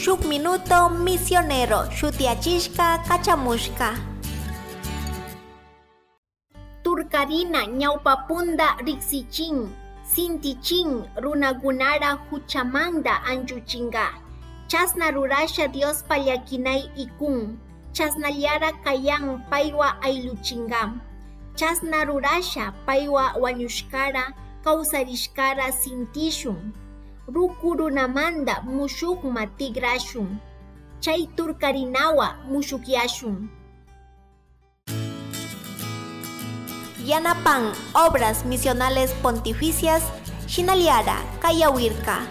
Shuk Minuto Misionero shutiyachishka kachamushka. Turkarina ñawpapunda riksichin, sintichin runakunara huchamanta anchuchinka. Chasna rurasha Diospa llakinay ikun, chasnallara kayan paywa aylluchinka. Chasna rurasha paywa wañushkara kawsarishkara sintishun. Ruku runamanta mushukma tikrashun. Chay turkarinawa mushukyashun. Yanapan Obras Misionales Pontificias, Shinaliara, Kayawirka.